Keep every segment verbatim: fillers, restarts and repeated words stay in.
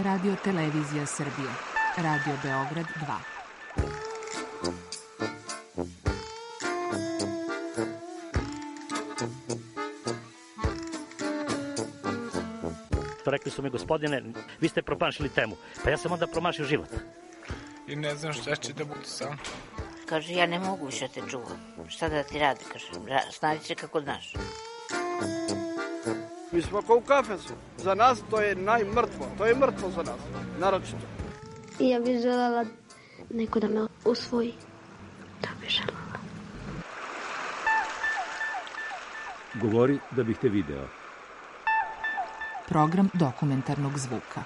Radio Televizija Srbije. Radio Beograd dva. Rekli su mi, gospodine, vi ste promašili temu. Pa ja sam onda promašio život. I ne znam šta će da bude sam. Kaže, ja ne mogu više te čuvam. Šta da ti radi? Kaže, snađi se kako znaš. Mi smo kao u kafesu. Za nas to je najmrtvo. To je mrtvo za nas. Naročito. I ja bih želela neko da me usvoji. Da bih želela. Govori da bih te video. Program dokumentarnog zvuka.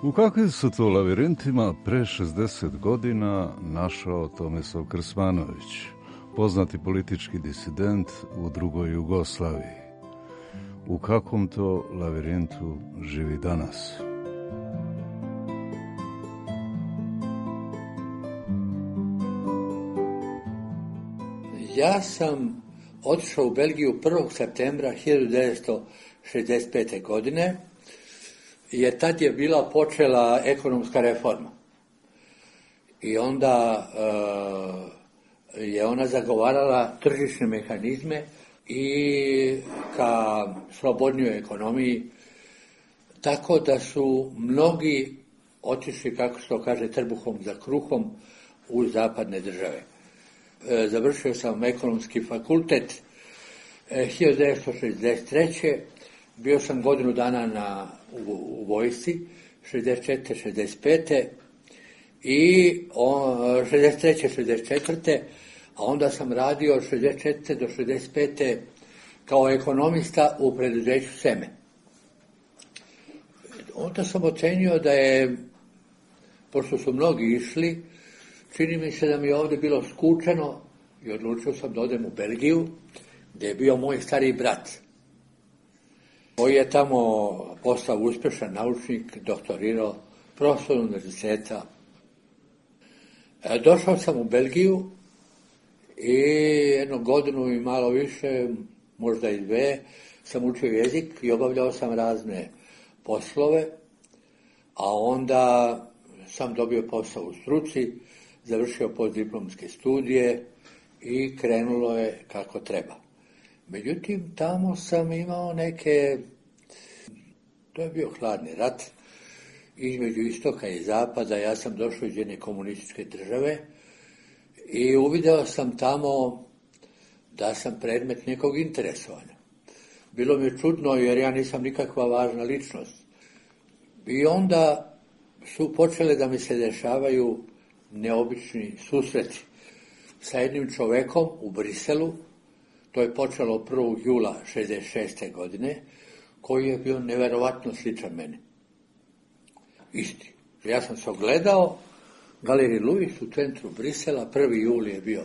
U kakvim su to lavirintima pre šezdeset godina našao Tomislav Krsmanović, poznati politički disident u drugoj Jugoslaviji? U kakvom to lavirintu živi danas? Ja sam otišao u Belgiju prvog septembra hiljadu devetsto šezdeset pete. godine, jer tad je bila počela ekonomska reforma. I onda uh, je ona zagovarala tržišne mehanizme i ka slobodnijoj ekonomiji, tako da su mnogi otišli, kako se to kaže, trbuhom za kruhom u zapadne države. E, završio sam ekonomski fakultet e, hiljadu devetsto šezdeset treće. Bio sam godinu dana na, u, u vojsci, šezdeset četvrte šezdeset pete i o, šezdeset treće šezdeset četvrte a onda sam radio od šezdeset četvrte do šezdeset pete kao ekonomista u preduzeću Seme. Onda sam ocenio da je, pošto su mnogi išli, čini mi se da mi je ovdje bilo skučeno i odlučio sam da odem u Belgiju, gdje je bio moj stariji brat, koji je tamo postao uspješan naučnik, doktorirao, profesor univerziteta. E, došao sam u Belgiju i jednu godinu i malo više, možda i dve, sam učio jezik i obavljao sam razne poslove, a onda sam dobio posao u struci, završio postdiplomske studije i krenulo je kako treba. Međutim, tamo sam imao neke, to je bio hladni rat, između istoka i zapada. Ja sam došao iz jedne komunističke države i uvideo sam tamo da sam predmet nekog interesovanja. Bilo mi je čudno jer ja nisam nikakva važna ličnost. I onda su počele da mi se dešavaju neobični susreti sa jednim čovekom u Briselu. To je počelo prvog jula šezdeset šeste. godine, koji je bio neverovatno sličan meni. Isti. Ja sam se ogledao, Galerij Luis u centru Brisela, prvi jul je bio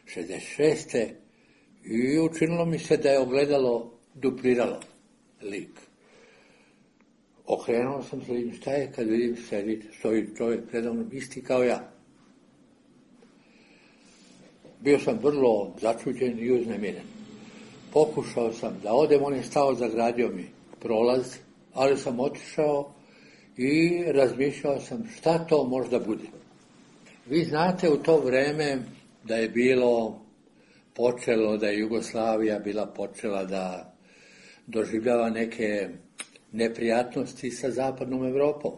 šezdeset šeste. i učinilo mi se da je ogledalo dupliralo lik. Okrenuo sam se, vidim šta je, kad vidim sedi, stoji čovjek predavno isti kao ja. Bio sam vrlo začuđen i uznemiren. Pokušao sam da odem, on je stao, zagradio mi prolaz, ali sam otišao i razmišljao sam šta to možda bude. Vi znate u to vreme da je bilo počelo, da je Jugoslavija bila počela da doživljava neke neprijatnosti sa zapadnom Evropom.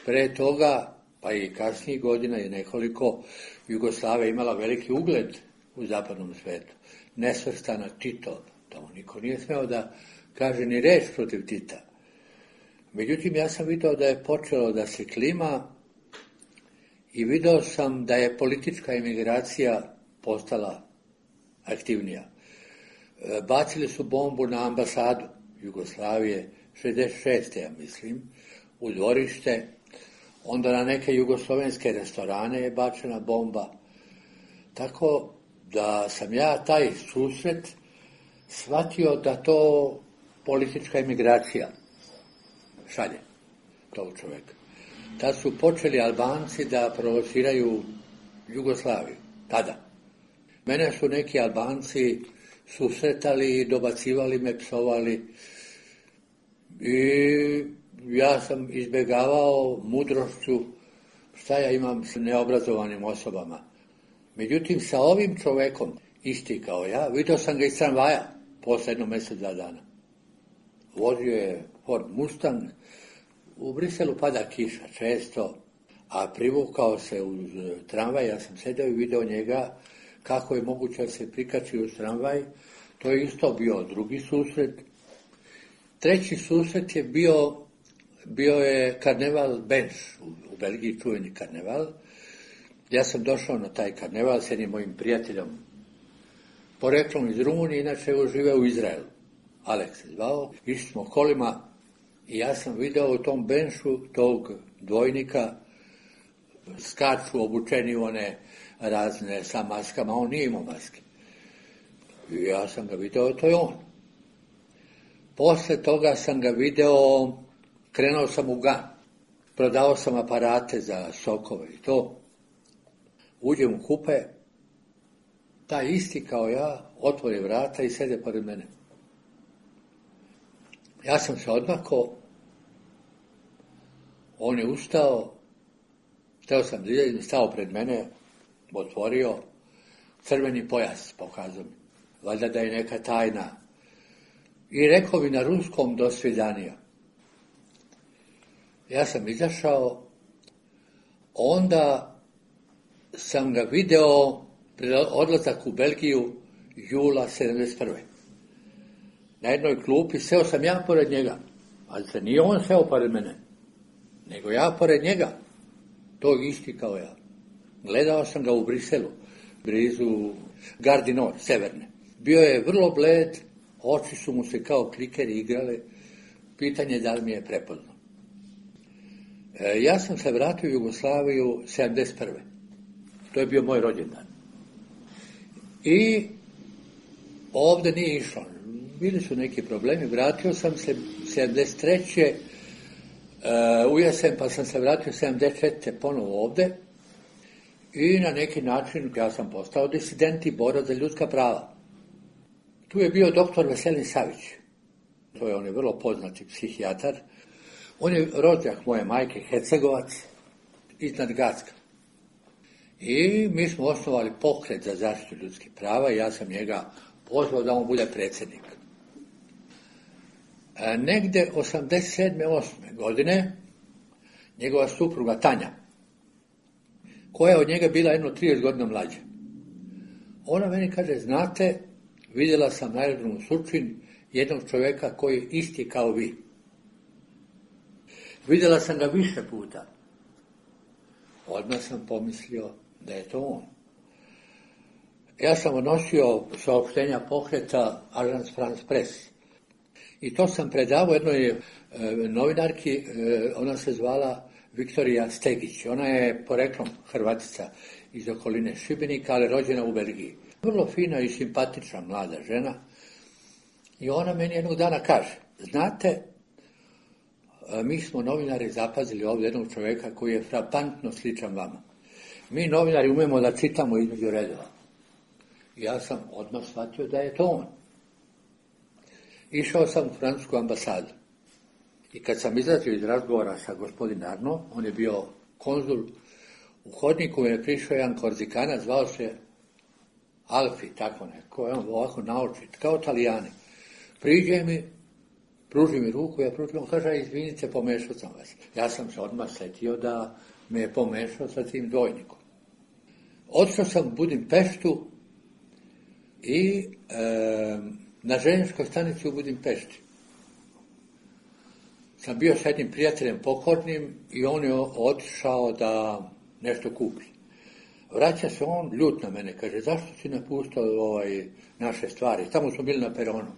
Pre toga, pa i kasnijih godina je nekoliko, Jugoslavija imala veliki ugled u zapadnom svetu. Nesvrstana Tito, tamo niko nije smeo da kaže ni reč protiv Tita. Međutim, ja sam vidio da je počelo da se klima i video sam da je politička emigracija postala aktivnija. Bacili su bombu na ambasadu Jugoslavije, šezdeset šeste. ja mislim, u dvorište. Onda na neke jugoslovenske restorane je bačena bomba. Tako da sam ja taj susret shvatio da to politička emigracija šalje tog čovjeka. Tad su počeli Albanci da provociraju Jugoslaviju, tada. Mene su neki Albanci susretali, dobacivali me, psovali i ja sam izbjegavao mudrošću šta ja imam s neobrazovanim osobama. Međutim, sa ovim čovekom, isti kao ja, vidio sam ga iz tramvaja posle jedno mjesec, dva dana. Vozio je Ford Mustang, u Briselu pada kiša često, a privukao se uz tramvaj, ja sam sedeo i video njega kako je moguće da se prikači uz tramvaj. To je isto bio drugi susret. Treći susret je bio, bio je karneval Benš, u Belgiji čuveni karneval. Ja sam došao na taj karneval s jednim mojim prijateljom, poreklom iz Rumunije, inače je živeo u Izraelu. Aleks se zvao, išli smo kolima i ja sam video u tom Benšu tog dvojnika, skaču obučeni one razne sa maskama, on nije imao maske. I ja sam ga video, to je on. Posle toga sam ga video, krenuo sam u Gan, prodao sam aparate za sokove i to. Uđem u kupe, taj isti kao ja otvori vrata i sede pored mene. Ja sam se odmakao, on je ustao, hteo sam da izađem, stao pred mene, otvorio, crveni pojas pokazao mi, valjda da je neka tajna. I rekao mi na ruskom do svidanija. Ja sam izašao, onda sam ga video pred odlazak u Belgiju jula sedamdeset prve. Na jednoj klupi seo sam ja pored njega, ali se nije on seo pored mene, nego ja pored njega, tog isti kao ja. Gledao sam ga u Briselu, blizu Gare du Nord, severne. Bio je vrlo bled, oči su mu se kao klikeri igrale, pitanje da li mi je prepoznao. E, ja sam se vratio u Jugoslaviju sedamdeset prve. To je bio moj rođendan. I ovdje nije išlo. Bili su neki problemi, vratio sam se sedamdeset treće Uh, u jesen, pa sam se vratio sedamdeset četvrte ponovo ovdje i na neki način ja sam postao disident i borac za ljudska prava. Tu je bio doktor Veselin Savić, to je on je vrlo poznati psihijatar. On je rođak moje majke, Hercegovac, iznad Gacka. I mi smo osnovali pokret za zaštitu ljudskih prava i ja sam njega pozvao da on bude predsjednik. Negde osamdeset sedme osme godine njegova supruga Tanja, koja je od njega bila jedno trideset godina mlađa, ona meni kaže, znate, vidjela sam na aerodromu Surčin jednog čovjeka koji je isti kao vi. Vidjela sam ga više puta. Odmah sam pomislio da je to on. Ja sam odnosio saopštenja pokreta Agence France Presse. I to sam predavao jednoj e, novinarki, e, ona se zvala Viktorija Stegić. Ona je poreklom Hrvatica iz okoline Šibenika, ali rođena u Belgiji. Vrlo fina i simpatična mlada žena. I ona meni jednog dana kaže, znate, e, mi smo novinari zapazili ovdje jednog čovjeka koji je frapantno sličan vama. Mi novinari umemo da čitamo između redova. I ja sam odmah shvatio da je to on. Išao sam u francusku ambasadu i kad sam izlazio iz razgovora sa gospodin Arno, on je bio konzul, u hodniku je prišao jedan Korzikanac, zvao se Alfi, tako neko, on ovako naočit, kao Talijani. Priđe mi, pruži mi ruku, ja pružim, on kaže, izvinite, pomešao sam vas. Ja sam se odmah setio da me je pomešao sa tim dvojnikom. Otišao sam u Budimpeštu i e, na željezničkoj stanici u Budimpešti sam bio s jednim prijateljem pokornim i on je otišao da nešto kupi. Vraća se on, ljut na mene, kaže, zašto si napustao ovaj, naše stvari? Tamo smo bili na peronu.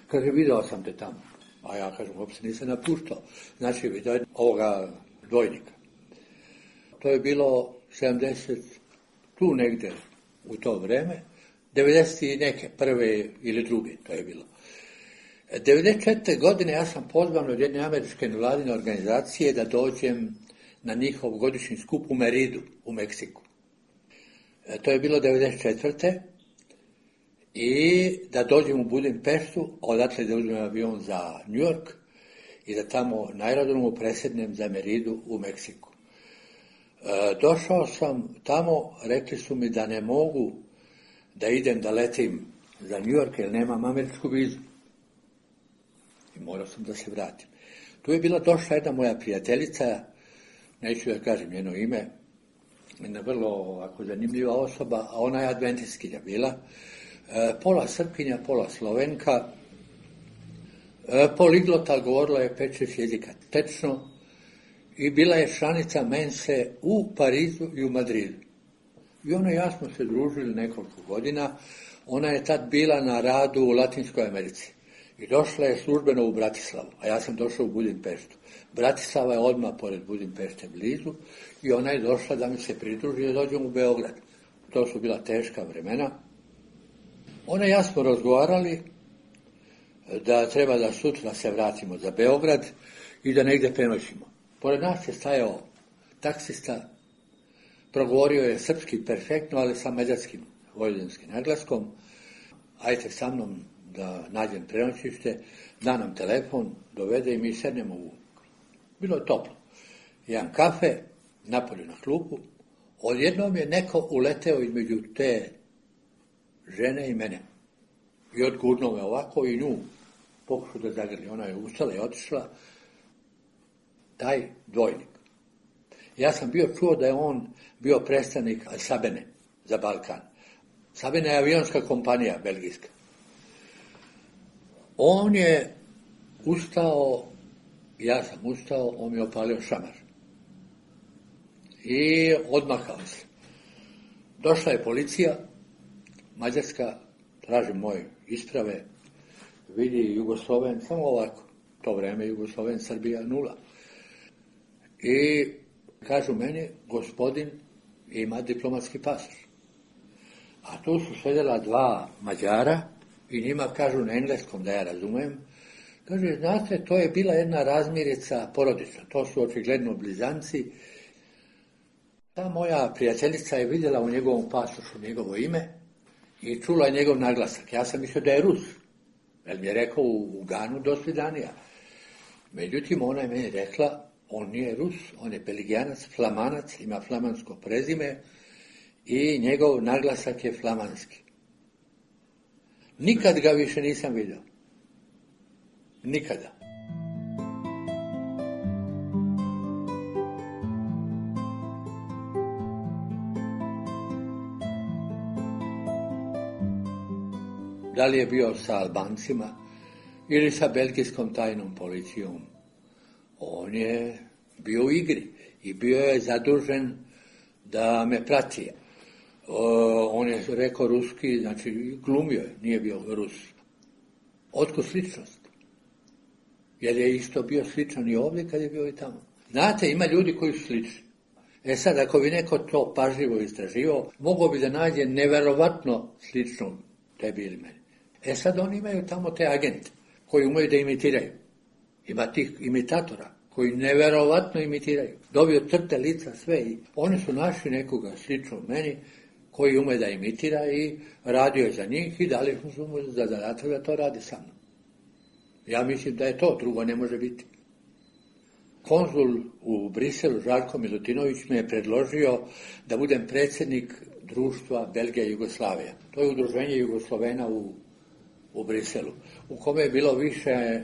Kaže, video sam te tamo. A ja kažem, uopće nisam napuštao. Znači, video je ovoga dvojnika. To je bilo sedamdeset, tu negdje u to vreme, devedeset i neke, prve ili druge, to je bilo. devedeset četvrte godine ja sam pozvan od jedne američke nevladine organizacije da dođem na njihov godišnji skup u Meridu, u Meksiku. E, to je bilo devedeset četvrte i da dođem u Budimpeštu, odatle da uzmem avion za New York i da tamo na aerodromu presjednem za Meridu u Meksiku. E, došao sam tamo, rekli su mi da ne mogu da idem da letim za New York jer nemam američku vizu. I morao sam da se vratim. Tu je bila došla jedna moja prijateljica, neću da kažem njeno ime, jedna vrlo ovako zanimljiva osoba, a ona je adventistkinja bila, e, pola Srpkinja, pola Slovenka, e, poliglota, govorila je pet šest jezika tečno i bila je članica Mense u Parizu i u Madridu. I ona i ja smo se družili nekoliko godina. Ona je tad bila na radu u Latinskoj Americi i došla je službeno u Bratislavu, a ja sam došao u Budimpeštu. Bratislava je odmah pored Budimpešte blizu i ona je došla da mi se pridruži da dođem u Beograd. To su bila teška vremena. Ona i ja smo razgovarali da treba da sutra se vratimo za Beograd i da negdje prenoćimo. Pored nas je stajao taksista, progovorio je srpski perfektno, ali sa mađarskim vojvođanskim naglaskom. Ajte sa mnom da nađem prenoćište, da nam telefon, dovede i mi sednemo u... Bilo je toplo. Jedan kafe, napolju na klupu. Odjednom je neko uleteo između te žene i mene. I odgurnuo me ovako i nju pokušao da zagrli. Ona je ustala i otišla. Taj dvojnik. Ja sam bio čuo da je on bio predstavnik Sabene za Balkan. Sabena je avionska kompanija belgijska. On je ustao, ja sam ustao, on mi je opalio šamar. I odmakao se. Došla je policija, mađarska, traži moje isprave, vidi Jugosloven, samo ovako, to vreme Jugosloven, Srbija nula. I kažu meni, gospodin ima diplomatski pasoš. A tu su sedela dva Mađara i njima kažu na engleskom da ja razumem. Kaže, znate, to je bila jedna razmirica porodična, to su očigledno blizanci. Ta moja prijateljica je vidjela u njegovom pasošu njegovo ime i čula je njegov naglasak. Ja sam mislio da je Rus, jer mi je rekao u, u Ganu do svidanija. Međutim, ona je meni rekla, on nije Rus, on je Belgijanac, Flamanac, ima flamansko prezime i njegov naglasak je flamanski. Nikad ga više nisam vidio. Nikada. Da li je bio sa Albancima ili sa belgijskom tajnom policijom? On je bio u igri i bio je zadužen da me prati. O, on je rekao ruski, znači glumio je, nije bio Rus. Otkud sličnost? Jer je isto bio sličan i ovdje kad je bio i tamo. Znate, ima ljudi koji su slični. E sad, ako bi neko to pažljivo istraživao, mogao bi da nađe neverovatno sličnog tebi ili meni. E sad, oni imaju tamo te agente koji umeju da imitiraju. Ima tih imitatora koji neverovatno imitiraju. Dobio crte, lica, sve. I oni su našli nekoga sličnog meni koji ume da imitira i radio je za njih i dali su mu za zadatak da to radi sa mnom. Ja mislim da je to, drugo ne može biti. Konzul u Briselu, Žarko Milutinović, me je predložio da budem predsjednik društva Belgija i Jugoslavija. To je udruženje Jugoslovena u, u Briselu, u kome je bilo više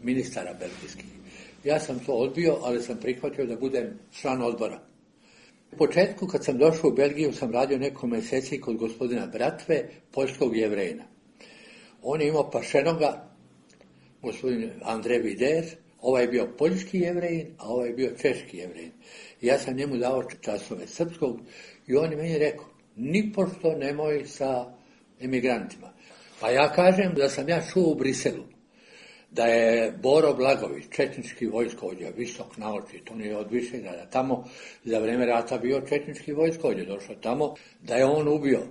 ministara belgijskih. Ja sam to odbio, ali sam prihvatio da budem član odbora. U početku, kad sam došao u Belgiju, sam radio neko mjeseci kod gospodina Bratve, poljskog Jevrejina. On je imao pašenoga, gospodin Andrej Vider, ovaj je bio poljski Jevrejin, a ovaj je bio češki Jevrejin. Ja sam njemu dao časove srpskog i on je meni rekao, nipošto nemoj sa emigrantima. Pa ja kažem da sam ja čuo u Briselu, da je Boro Blagović, četnički vojskovođa, visok naoči, to nije od Višegrada, tamo za vreme rata bio četnički vojskovođa, došao tamo, da je on ubio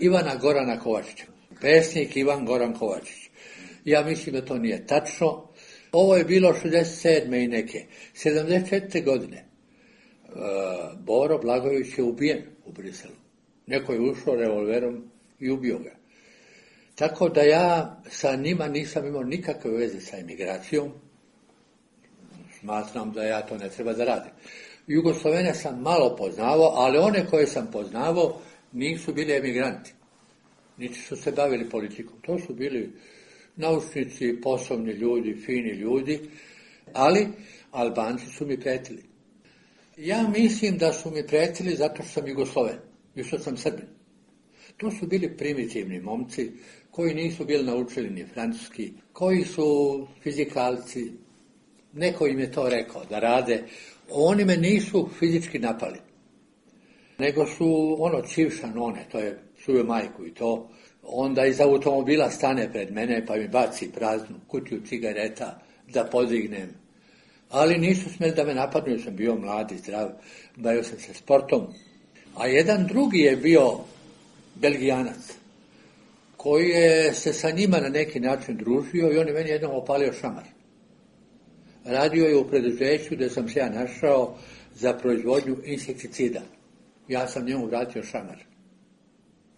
Ivana Gorana Kovačića, pesnik Ivan Goran Kovačić. Ja mislim da to nije tačno. Ovo je bilo šezdeset sedme i neke. sedamdeset četvrte godine uh, Boro Blagović je ubijen u Briselu. Neko je ušao revolverom i ubio ga. Tako da ja sa njima nisam imao nikakve veze sa emigracijom. Smatram da ja to ne treba da radim. Jugoslovene sam malo poznavao, ali one koje sam poznavao nisu bili emigranti. Niti su se bavili politikom. To su bili naučnici, poslovni ljudi, fini ljudi, ali Albanci su mi pretili. Ja mislim da su mi pretili zato što sam Jugosloven i što sam Srbin. To su bili primitivni momci koji nisu bili naučili ni francuski, koji su fizikalci. Neko im je to rekao da rade. Oni me nisu fizički napali, nego su ono čivša none, to je suve majku i to. Onda iz automobila stane pred mene pa mi baci praznu kutiju cigareta da podignem. Ali nisu smjeli da me napadnu, jer sam bio mlad i zdrav, bavio sam se sportom. A jedan drugi je bio Belgijanac, koji je se sa njima na neki način družio i on je meni jednom opalio šamar. Radio je u preduzeću gdje sam se ja našao za proizvodnju insekticida. Ja sam njemu vratio šamar.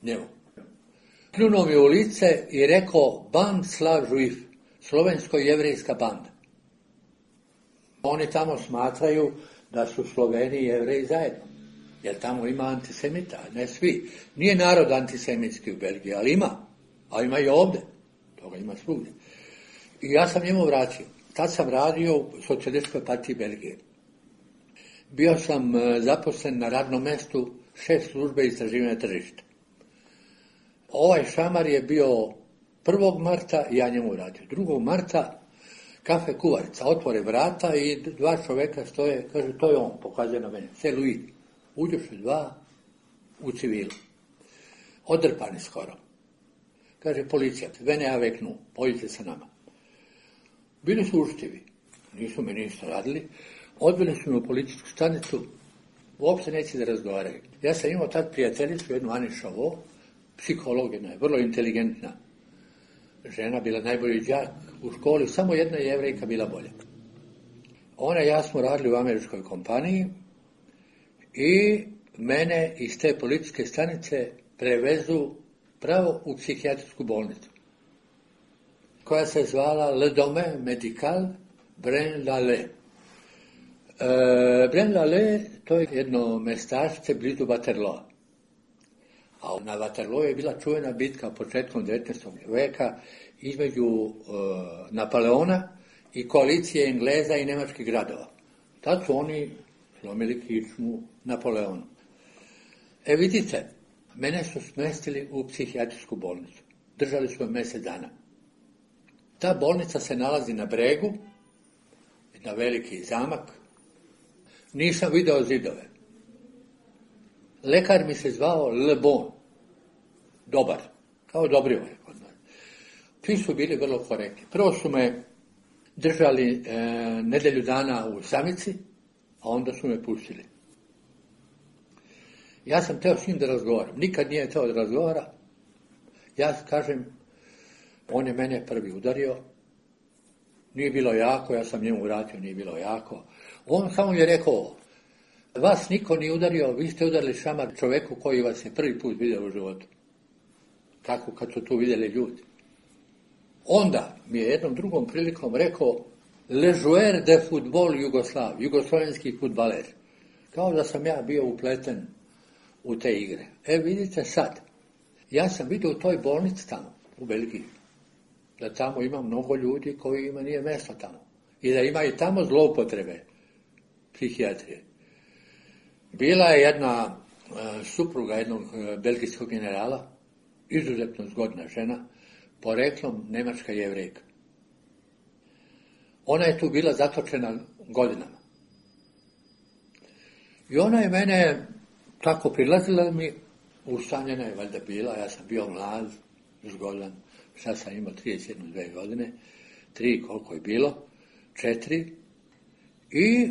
Njemu. Pljunuo mi u lice i rekao Band Slav Žuif, slovensko-jevrejska banda. Oni tamo smatraju da su Sloveni i Jevreji zajedno. Jer tamo ima antisemita, ne svi. Nije narod antisemitski u Belgiji, ali ima. A ima i ovdje. Toga ima svugdje. I ja sam njemu vratio. Tad sam radio u Socijalističkoj partiji Belgije. Bio sam zaposlen na radnom mjestu šef službe istraživanja tržišta. Ovaj šamar je bio prvog marta i ja njemu radio. drugog marta kafe kuvarica, otvore vrata i dva čoveka stoje, kaže, to je on, pokazuje na mene, c'est lui. Uđoše dva u civilu. Odrpani skoro. Kaže, policija, venez avec nous, pođite sa nama. Bili su uštivi, nisu me ništa radili, odveli su me u policijsku stanicu, uopće neće da razgovaraju. Ja sam imao tad prijateljicu, jednu Ani Šavo, psihologina je, vrlo inteligentna žena, bila najbolji đak u školi, samo jedna Jevrejka bila bolja. Ona i ja smo radili u američkoj kompaniji i mene iz te policijske stanice prevezu pravo u psihijatrijsku bolnicu, koja se zvala Le Domaine Médical Braine-l'Alleud. E, Braine-l'Alleud, to je jedno mestašce blizu Waterloo. A na Waterloo je bila čuvena bitka početkom devetnaestog veka između e, Napoleona i koalicije Engleza i nemačkih gradova. Tad su oni slomili kičmu Napoleonu. E vidite, mene su smestili u psihijatrijsku bolnicu. Držali su me mjesec dana. Ta bolnica se nalazi na bregu, na veliki zamak. Nisam video zidove. Lekar mi se zvao Le Bon, dobar, kao Dobrivo je kod nas. Svi su bili vrlo korektni. Prvo su me držali e, nedelju dana u samici, a onda su me pustili. Ja sam teo s njim da razgovaram. Nikad nije teo da razgovara. Ja kažem, on je mene prvi udario. Nije bilo jako, ja sam njemu vratio, nije bilo jako. On samo je rekao, vas niko nije udario, vi ste udarili šamar čoveku koji vas je prvi put vidio u životu. Kako kad su tu vidjeli ljudi. Onda mi je jednom drugom prilikom rekao, le joueur de football Jugoslav, jugoslovenski fudbaler. Kao da sam ja bio upleten u te igre. E vidite sad, ja sam vidio u toj bolnici tamo, u Belgiji, da tamo ima mnogo ljudi kojima nije mjesto tamo. I da ima i tamo zloupotrebe psihijatrije. Bila je jedna e, supruga jednog e, belgijskog generala, izuzetno zgodna žena, poreklom Nemačka Jevrejka. Ona je tu bila zatočena godinama. I ona je mene tako prilazila mi, ustanjena je valjda bila, ja sam bio mlad, zgodan, sad sam imao trideset jednu dve godine, tri koliko je bilo, četiri, i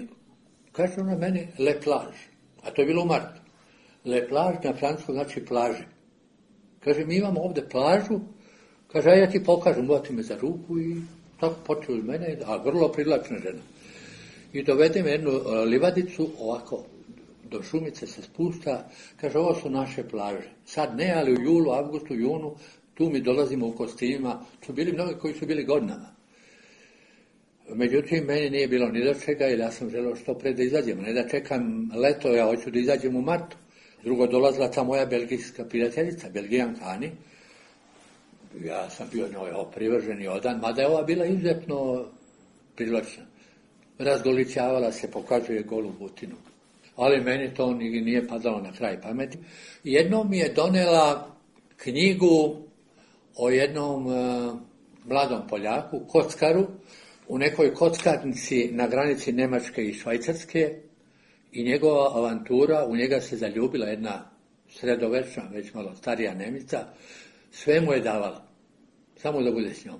kaže ona meni le plage, a to je bilo u martu. Le plage na francuskom znači plaže. Kaže, mi imamo ovdje plažu, kaže, a ja ti pokažem, uvati me za ruku i tako počeo iz mene, a vrlo privlačna žena. I dovede me jednu livadicu, ovako, do Šumice se spušta, kaže, ovo su naše plaže. Sad ne, ali u julu, avgustu, junu, tu mi dolazimo u kostimima, su bili mnogi koji su bili godinama. Međutim, meni nije bilo ni do čega, jer ja sam želeo što pre da izađemo. Ne da čekam leto, ja hoću da izađem u martu. Drugo, dolazila ta moja belgijska prijateljica, Belgijanka Ani. Ja sam bio njoj privržen i odan, mada je ova bila izuzetno privlačna. Razgoličavala se, pokazuje golu butinu. Ali meni to nije padalo na kraj pameti. Jednom mi je donela knjigu o jednom uh, mladom Poljaku, kockaru, u nekoj kockarnici na granici Njemačke i Švajcarske, i njegova avantura, u njega se zaljubila jedna sredovečna, već malo starija Nemica, sve mu je davala, samo da bude s njom.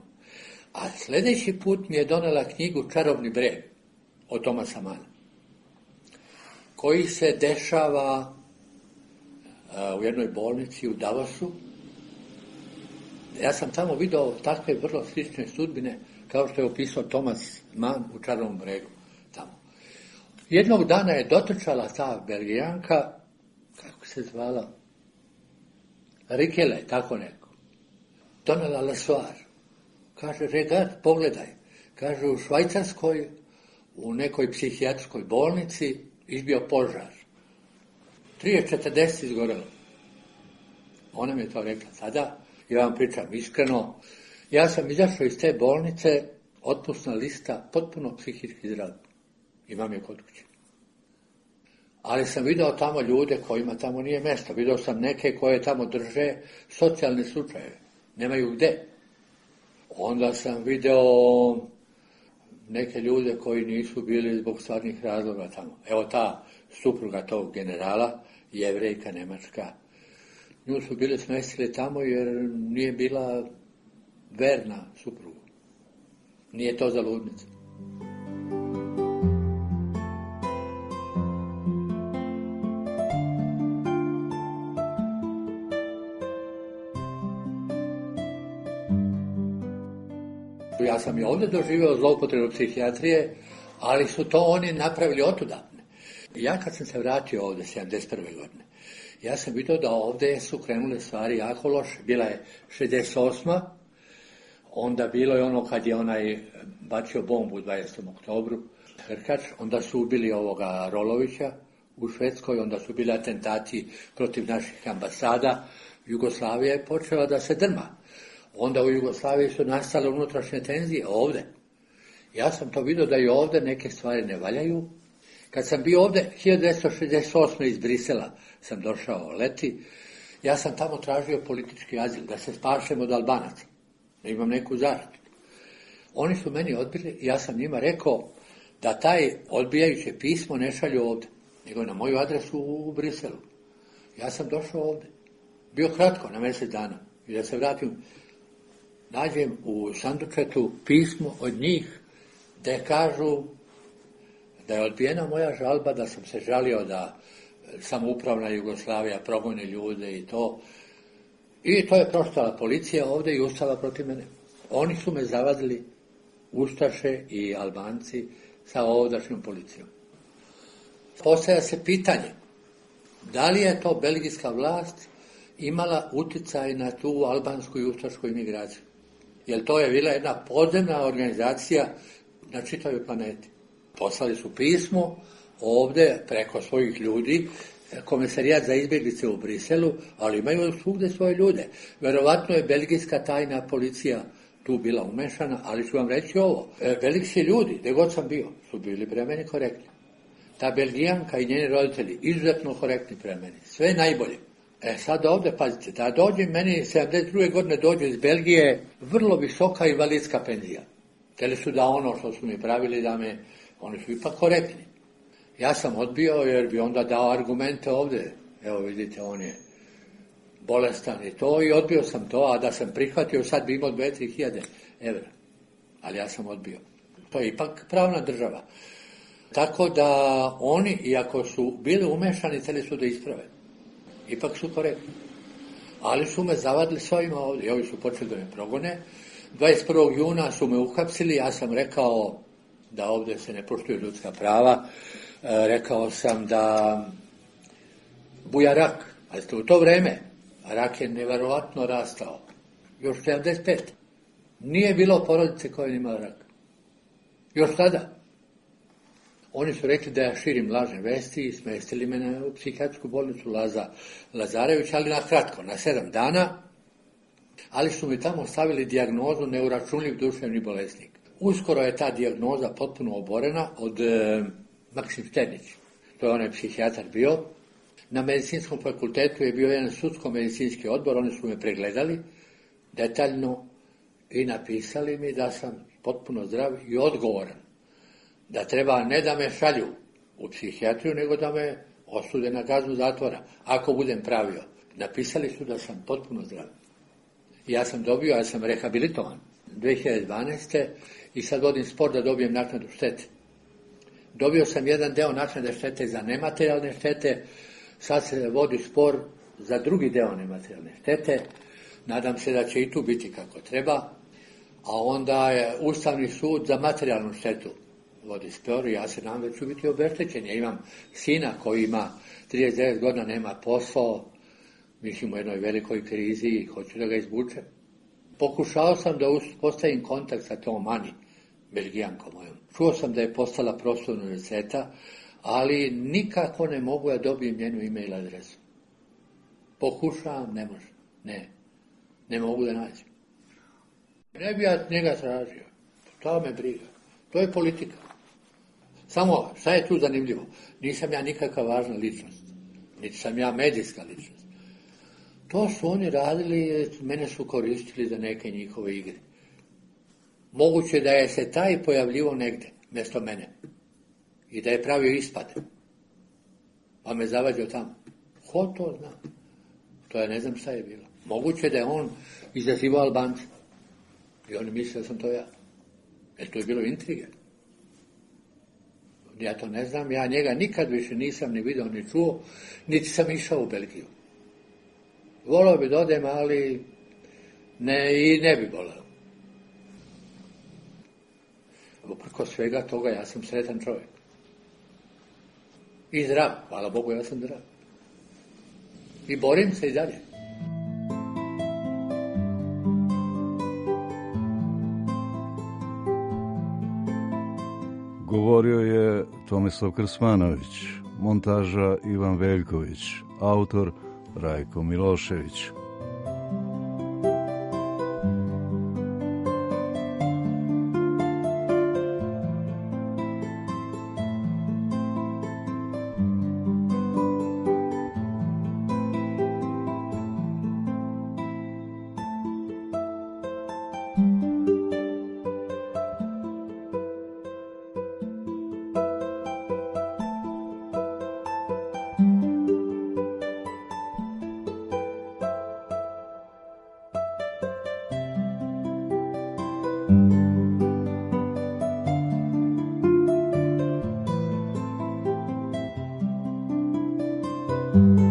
A sljedeći put mi je donela knjigu Čarobni breg od Tomasa Mana, koji se dešava uh, u jednoj bolnici u Davosu. Ja sam tamo video takve vrlo slične sudbine kao što je opisao Tomas Mann u Čarobnom bregu tamo. Jednog dana je dotrčala ta Belgijanka, kako se zvala, Rikele, tako neko. Donela lesoar. Kaže, regard, pogledaj. Kaže, u Švajcarskoj, u nekoj psihijatrijskoj bolnici, izbio požar. trideset četrdeset izgorelo. Ona mi je to rekla tada. Ja vam pričam iskreno. Ja sam izašao iz te bolnice, otpusna lista, potpuno psihički zdrav. Imam je kod kuće. Ali sam video tamo ljude kojima tamo nije mjesto. Video sam neke koje tamo drže socijalne slučajeve. Nemaju gde. Onda sam video neke ljude koji nisu bili zbog stvarnih razloga tamo. Evo ta supruga tog generala, Jevrejka Nemačka. Nju su bili smestili tamo jer nije bila verna suprugu. Nije to za ludnice. Ja sam i ovdje doživio zloupotrebu psihijatrije, ali su to oni napravili otudatne. Ja kad sam se vratio ovdje sedamdeset prve godine, ja sam vidio da ovdje su krenule stvari jako loše. Bila je šezdeset osma onda bilo je ono kad je onaj bacio bombu u dvadesetom oktobru, Hrkač, onda su ubili ovoga Rolovića u Švedskoj, onda su bili atentati protiv naših ambasada. Jugoslavija je počela da se drma. Onda u Jugoslaviji su nastale unutrašnje tenzije ovdje. Ja sam to vidio da i ovdje neke stvari ne valjaju. Kad sam bio ovdje hiljadu devetsto šezdeset osme iz Brisela sam došao leti, ja sam tamo tražio politički azil, da se spašem od Albanaca, da imam neku zaštitu. Oni su meni odbili i ja sam njima rekao da taj odbijajuće pismo ne šalju ovdje, nego na moju adresu u Briselu. Ja sam došao ovdje. Bio kratko, na mjesec dana. I da se vratim, nađem u sandučetu pismo od njih gdje kažu da je odbijena moja žalba, da sam se žalio da samoupravna Jugoslavija progoni ljude i to. I to je proštala policija ovdje i ustala protiv mene. Oni su me zavadili, Ustaše i Albanci, sa ovdašnjom policijom. Postavlja se pitanje, da li je to belgijska vlast imala utjecaj na tu albansku i ustašku imigraciju? Jer to je bila jedna podzemna organizacija na čitavoj planeti. Poslali su pismo ovdje preko svojih ljudi, Komesarijat za izbjeglice u Briselu, ali imaju svugdje svoje ljude. Verovatno je belgijska tajna policija tu bila umešana, ali ću vam reći ovo. Belgijski ljudi, gdje god sam bio, su bili prema meni korektni. Ta Belgijanka i njeni roditelji, izuzetno korektni prema meni. Sve najbolje. E sad ovdje, pazite, da dođe meni sedamdeset druge godine dođe iz Belgije vrlo visoka invalidska penzija. Htjeli su da ono što su mi pravili da me, oni su ipak korektni. Ja sam odbio jer bi onda dao argumente ovdje. Evo vidite, on je bolestan i to, i odbio sam to, a da sam prihvatio sad bi imao dve do tri hiljade evra. Ali ja sam odbio. To je ipak pravna država. Tako da oni, iako su bili umešani, htjeli su da isprave. Ipak su korektni. Ali su me zavadili s ovima ovdje. I ovi su počeli da me progone. dvadeset prvog juna su me uhapsili. Ja sam rekao da ovdje se ne poštuju ljudska prava. E, rekao sam da buja rak. Ali ste u to vreme, rak je neverovatno rastao. Još sedamdeset pet. Nije bilo porodice koja je imala rak. Još tada. Oni su rekli da ja širim lažne vesti i smestili me na u psihijatrijsku bolnicu Laza Lazarević, ali na kratko, na sedam dana, ali su mi tamo stavili dijagnozu neuračunljiv duševni bolesnik. Uskoro je ta dijagnoza potpuno oborena od e, Maksim Štenić, to je onaj psihijatar bio. Na medicinskom fakultetu je bio jedan sudsko-medicinski odbor, oni su me pregledali detaljno i napisali mi da sam potpuno zdrav i odgovoran. Da treba ne da me šalju u psihijatriju, nego da me osude na kaznu zatvora, ako budem pravio. Napisali su da sam potpuno zdrav. Ja sam dobio, ja sam rehabilitovan dve hiljade dvanaeste. i sad vodim spor da dobijem naknadu štete. Dobio sam jedan deo naknade štete za nematerijalne štete, sad se vodi spor za drugi deo nematerijalne štete. Nadam se da će i tu biti kako treba, a onda je Ustavni sud za materijalnu štetu vodi spor i ja se nadam da ću biti obeštećen. Ja imam sina koji ima trideset devet godina, nema posao, mislim u jednoj velikoj krizi i hoću da ga izvučem. Pokušao sam da postavim kontakt sa tom Ani, Belgijankom mojom. Čuo sam da je postala profesor univerziteta, ali nikako ne mogu da dobijem njenu e-mail adresu. Pokušavam, ne može. Ne. Ne mogu da nađem. Ne bi ja njega tražio. To me briga. To je politika. Samo, šta je tu zanimljivo? Nisam ja nikakva važna ličnost. Niti sam ja medijska ličnost. To su oni radili, mene su koristili za neke njihove igre. Moguće da je se taj pojavljivo negde, mjesto mene. I da je pravio ispade. Pa me zavađao tamo. Ko to zna? To ja ne znam šta je bilo. Moguće da je on izazivao Albance. I oni misle da sam to ja. Jer to je bilo intrige. Ja to ne znam, ja njega nikad više nisam ni vidio, ni čuo, niti sam išao u Belgiju. Volao bi da odem, ali ne, i ne bi volao. Uprko svega toga, ja sam sretan čovjek. I zdrav, hvala Bogu, ja sam zdrav. I borim se i dalje. Govorio je Tomislav Krsmanović, montaža Ivan Veljković, autor Rajko Milošević. you